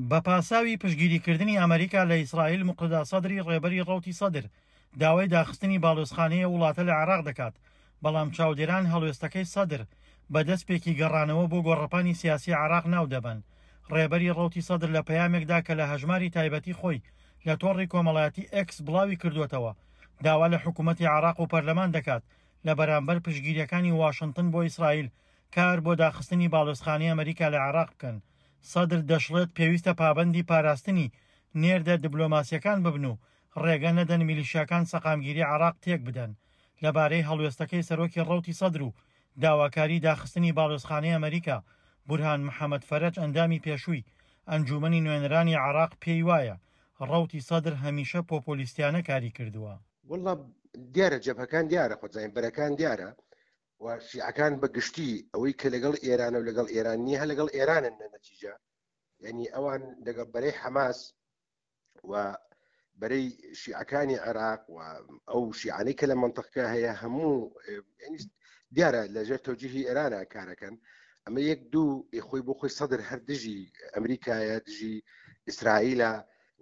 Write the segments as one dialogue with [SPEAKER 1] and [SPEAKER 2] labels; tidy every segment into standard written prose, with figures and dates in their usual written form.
[SPEAKER 1] بە پاساوی پشتگیریکردنی ئەمەریکا لە ئیسرائیل، موقتەدا سەدری ڕێبەری ڕەوتی سەدر داوای داخستنی باڵیۆزخانەی ئەو وڵاتە لە عێراق دەکات، بەڵام چاودێران هەڵوێستەکەی سەدر بە دەستپێکی گەڕانەوە بۆ گۆڕەپانی سیاسی عێراق ناودەبەن. ڕێبەری ڕەوتی سەدر لە پەیامێکدا کە لە هەژماری تایبەتی خۆی لە تۆڕی کۆمەڵایەتی ئێکس بڵاوی کردووەتەوە، داوا لە حکوومەتی عێراق و پەرلەمان دەکات لە بەرامبەر پشتگیرییەکانی واشنتن بۆ ئیسرائیل کار بۆ داخستنی باڵیۆزخانەی ئەمەریکا لە عێراق بکەن. سەدر دەشڵێت پێویستە پابەندی پاراستنی نێردە دبلۆماسییەکان ببن و ڕێگە نەدەن میلیشیاکان سەقامگیری عێراق تێکبدەن. لەبارەی هەڵوێستەکەی سەرۆکی ڕەوتی سەدر و داواکاری داخستنی باڵیۆزخانەی ئەمەریکا، بورهان محەمەد فەرەج ئەندامی پێشووی ئەنجوومەنی نوێنەرانی عێراق پێی وایە ڕەوتی سەدر هەمیشە پۆپۆلیستیانە کاری کردووە.
[SPEAKER 2] وەڵا دیارە جەبهەکان دیارە خۆت زانین بەرەکان دیارە و شیعەکان بە گشتی ئەوەی کە لەگەڵ ئێرانە و لەگەڵ ئێران نییە هەر لەگەڵ ئێرانن لە نەتیجە یعنی ئەوان لەگەڵ بەرەی حەماس و بەرەی شیعەکانی عێراق و ئەو شیعانەی کە لە منطقەکە هەیە هەموو دیارە لەژێر تەوجیهی ئێرانە کارەکەن ئەمە یەک دوو خۆی بۆ خۆی سەدر هەر دژی ئەمریکایە دژی ئیسرائیلە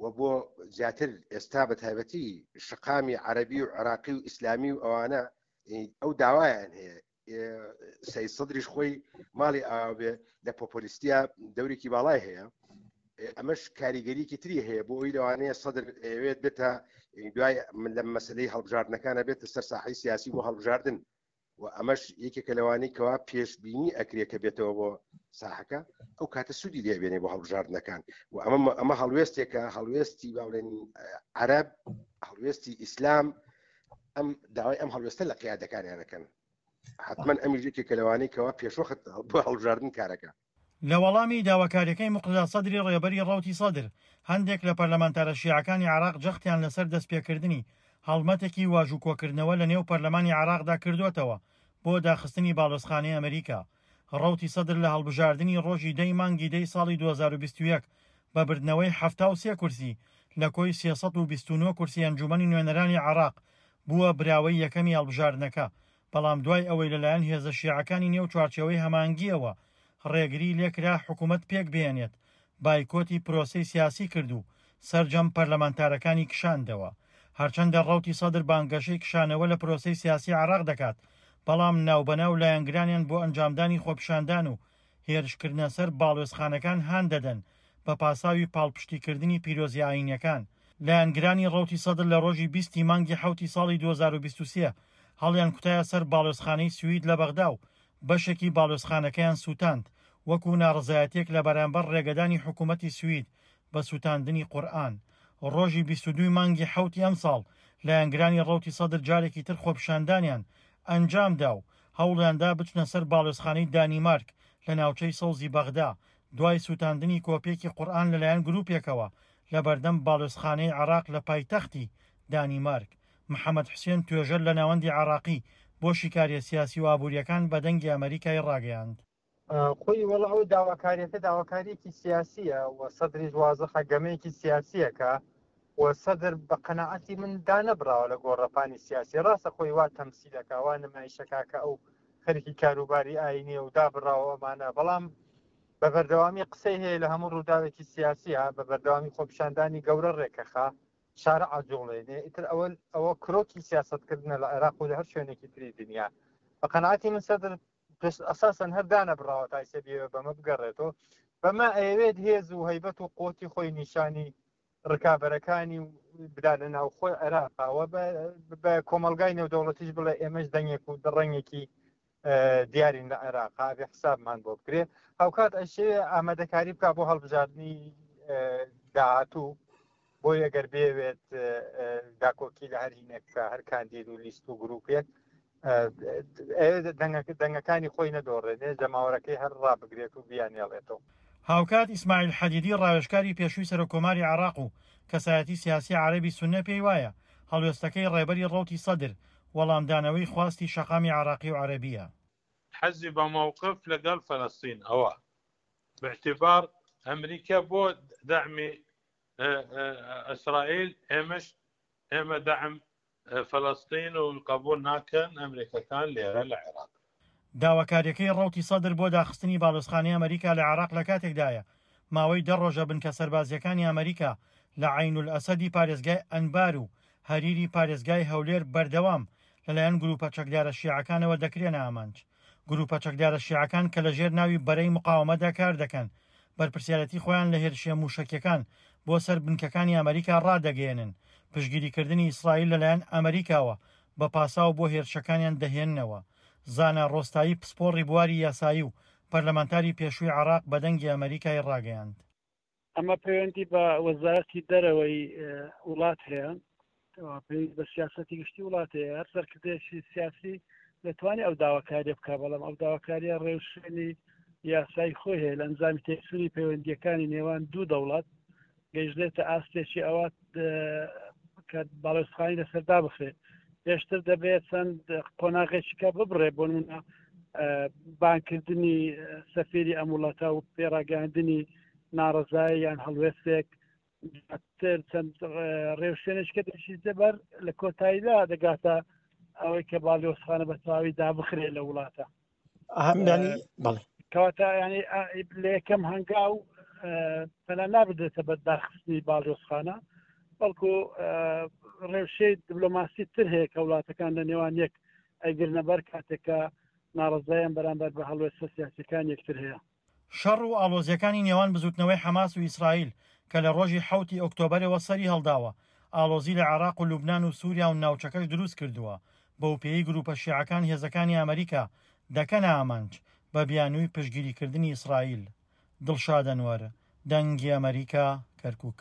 [SPEAKER 2] و بۆ زیاتر ئێستا بە تایبەتی شقامی عەربی و عراقی و ئیسلامی و ئەوانە ئەو داوایان هەیە سەید سەدریش خۆی ماڵی ئاوێ لە پۆپۆلیستیا دەورێکی باڵای هەیە ئەمەش کاریگەریکی تری هەیە بۆ ئەوی لەوانەیە سەدر ئەوێت بێتە دوای من لە مەسلەی هەڵبژاردنەکانە بێتە سەر ساحی سیاسی بۆ هەڵبژاردن و ئەمەش یەکێکە لەوانەی کەوا پێشببینی ئەکرێ کە بێتەوە بۆ ساحەکە ئەو کاتە سوودی لێبێنێ بۆ هەڵبژاردنەکان و ئەمە ئەمە هەڵوێستێکە هەڵوێستی باڵێن عەرب هەڵوێستی ئیسلام ئەم داوای ئەم هەڵوێستە لە قیادەکانیانەکەن حتمما ئەمیش یەکێکە لەوانەی کەوا پێشوەخت بۆ هەڵبژاردن کارەکە.
[SPEAKER 1] لە وەڵامی داواکارییەکەی موقتەدا سەدری ڕێبەری ڕەوتی سەدر، هەندێک لە پەرلەمانتارە شیعەکانی عێراق جەختیان لەسەر دەستپێکردنی هەڵمەتێکی واژووکۆکردنەوە لەنێو پەرلەمانی عێراقدا کردووەتەوە بۆ داخستنی باڵیۆزخانەی ئەمریکا. ڕەوتی سەدر لە هەڵبژاردنی ڕۆژی دە ی مانگی دە ی ساڵی 2021 بە بردنەوەی 73 کورسی لە کۆی 329 کورسی ئەنجوومەنی نوێنەرانی عێراق بووە براوەی یەکەمی هەڵبژاردنەکە، بەڵام دوای ئەوەی لەلایەن هێزە شیعەکانی نێو چوارچێوەی هەماهەنگییەوە ڕێگری لێکرا حکومەت پێکبهێنێت، بایکۆتی پرۆسەی سیاسی کرد و سەرجەم پەرلەمانتارەکانی کشاندەوە. هەرچەندە ڕەوتی سەدر بانگەشەی کشانەوە لە پرۆسەی سیاسی عێراق دەکات، بەڵام ناوبەناو لایەنگرانیان بۆ ئەنجامدانی خۆپیشاندان و هێرشکردنە سەر باڵوێزخانەکان هان دەدەن بە پاساوی پاڵپشتیکردنی پیرۆزیە ئایینیەکان. لایەنگرانی ڕەوتی سەدر لە ڕۆژی 20 ی مانگی حەوتی ساڵی 2023 هەڵیانکوتایە سەر باڵوێزخانەی سوید لە بەغدا و بەشێکی باڵوێزخانەکەیان سووتاند وەکو ناڕەزایەتیەک لە بەرامبەر ڕێگەدانی حکوومەتی سوید بە سووتاندنی قورئان. ڕۆژی 22 ی مانگی حەوتی ئەمساڵ لایەنگرانی ڕەوتی سەدر جارێکی تر خۆپیشاندانیان ئەنجامدا و هەوڵیاندا بچنە سەر باڵیۆزخانەی دانیمارک لە ناوچەی سەوزی بەغدا دوای سووتاندنی کۆپیەکی قورئان لەلایەن گروپێکەوە لەبەردەم باڵیۆزخانەی عێراق لە پایتەختی دانیمارک. محەمەد حوسێن توێژەر لە ناوەندی عێراقی بۆ شیکاریە سیاسی و ئابووریەکان بە دەنگی ئەمەریکای ڕاگەیاند.
[SPEAKER 3] خۆی وەڵا ئەو داواکاریەکە داواکاریەکی سیاسیە و سەدریش وازحە گەمەیەکی سیاسیەکە و سەدر بە قەناعەتی من دانەبراوە لە گۆڕەپانی سیاسی ڕاستە خۆی وا تەمسیلەکە وا نمایشەکە کە ئەو خەریکی کاروباری ئاینیە و دابڕاوە ئەمانە بەڵام بە بەردەوامی قسەی هەیە لە هەموو ڕووداوێکی سیاسیە بە بەردەوامی خۆپیشاندانی گەورە ڕێکەخا شارع ئەجوڵێنێ ئیتر ئەوە ئەوە کرۆکی سیاستکردنە لە عێراق و لە هەر شوێنێکی تری دنیا بە قەناعەتی من سەدر ئەساسەن هەر دانەبڕاوە تا ئیسە بیەوێت بەمە بگەڕێتەوە بەمە ئەیەوێت هێز و هەیبەت و قوتی خۆی نیشانی ڕکابەرەکانی و بدا لە ناوخۆی عێراقەوە بە کۆمەلگای نێودەوڵەتیش بڵێ ئێمەش دەنگێک و دڕەنگێکی دیارین لە عێراق ئابێ حسابمان بۆ بکرێ هاوکات ئەشێ ئامادەکاری بک بۆ هەڵبژاردننی داهاتوو بۆی ئەگەر بێوێت داکۆکی لە هەر هینێک بکە هەر کاندید و لیست و گروپێک دەنگەکانی خۆی نەدۆڕێنێ جەماوەرەکەی هەر ڕابگرێت و بیانێڵێتەوە.
[SPEAKER 1] هاوکات ئیسماعیل حەدیدی ڕاوێژکاری پێشووی سەرۆککۆماری عێراق و کەسایەتی سیاسی عەرەبی سوننە پێی وایە هەڵوێستەکەی ڕێبەری ڕەوتی سەدر وەڵامدانەوەی خواستی شەقامی عێراقی و عەرەبییە.
[SPEAKER 4] حەزی بە مەوقف لەگەڵ فەلەستین ئەوە باعتبار ئەمریکا بۆ دەعمی ئیسرائیل ئێمەش ئێمە دەعم فەلەستین و قبول ناکەن ئەمریکەکان لێرە لە عێراق.
[SPEAKER 1] داواکارییەکەی ڕەوتی سەدر بۆ داخستنی باڵیۆزخانەی ئەمریکا لە عێراق لەکاتێکدایە، ماوەی دە ڕۆژە بنکە سەربازییەکانی ئەمریکا لە عەینولئەسەدی پارێزگای ئەنبار و هەریری پارێزگای هەولێر بەردەوام لەلایەن گرووپە چەکدارە شیعەکانەوە دەکرێنە ئامانج. گرووپە چەکدارە شیعەکان کە لەژێر ناوی بەرەی مقاوەمەدا کار دەکەن، بەرپرسیارێتی خۆیان لە هێرشیە مووشەکیەکان بۆ سەر بنکەکانی ئەمریکا ڕادەگەیەنن، پشتگیریکردنی ئیسرائیل لەلایەن ئەمریکاوە بە پاساو بۆ هێرشەکانیان دەهێننەوە. زانا ڕۆستایی پسپۆڕی بواری یاسایی و پەرلەمانتاری پێشووی عێراق بە دەنگی ئەمەریکای ڕاگەیاند.
[SPEAKER 5] ئەمە پەیوەندی بە وەزارەتی دەرەوەی وڵات هەیە، پەیوەندی بە سیاسەتی گشتی وڵات هەیە. هەر سەرکردەیەکی سیاسی دەتوانێت ئەو داواکاریە بکات، بەڵام ئەو داواکاریە ڕێوشوێنی یاسایی خۆی هەیە. لە ئەنجامی تێکچوونی پەیوەندیەکانی نێوان دوو دەوڵەت گەیشتێتە ئاستێکی ئەوە کە باڵێزخانی لەسەر دابخرێت. پێشتر دەبێت چەند قۆناغێکی کە ببڕێ، بۆ نمونە بانکردنی سەفیری ئەم وڵاتە و پێڕاگەاندنی ناڕەزایی یان هەڵوێستێک، دواتر چەند ڕێوشوێنێک کە دەشیتە بەر، لە کۆتاییدا دەگاتە ئەوەی کە باڵیۆزخانە بە تەواوی دابخرێت لە وڵاتە.
[SPEAKER 1] بەڵێ.
[SPEAKER 5] کەواتە ینی لە یەکەم هەنگاو پەنا نابدرێتە بە داخستنی باڵیۆزخانە، بەڵکو ڕێوشەی دیبلۆماسی تر هەیە کە وڵاتەکان لە نێوان یەک ئەیگرنە بەر کاتێک کە ناڕەزایان بەرامبەر بە هەڵوێستە سیاسیەکان یەکتر هەیە.
[SPEAKER 1] شەڕ و ئاڵۆزییەکانی نێوان بزووتنەوەی حەماس و ئیسرائیل کە لە ڕۆژی حەوتی ئۆکتۆبەرەوە سەری هەڵداوە، ئاڵۆزی لە عێراق و لوبنان و سووریا و ناوچەکەش دروست کردووە، بەوپێیەی گرووپە شیعەکان هێزەکانی ئەمریکا دەکەنە ئامانج بە بیانووی پشتگیریکردنی ئیسرائیل. دڵشاد ئەنوەر، دەنگی ئەمەریکا، کەرکوک.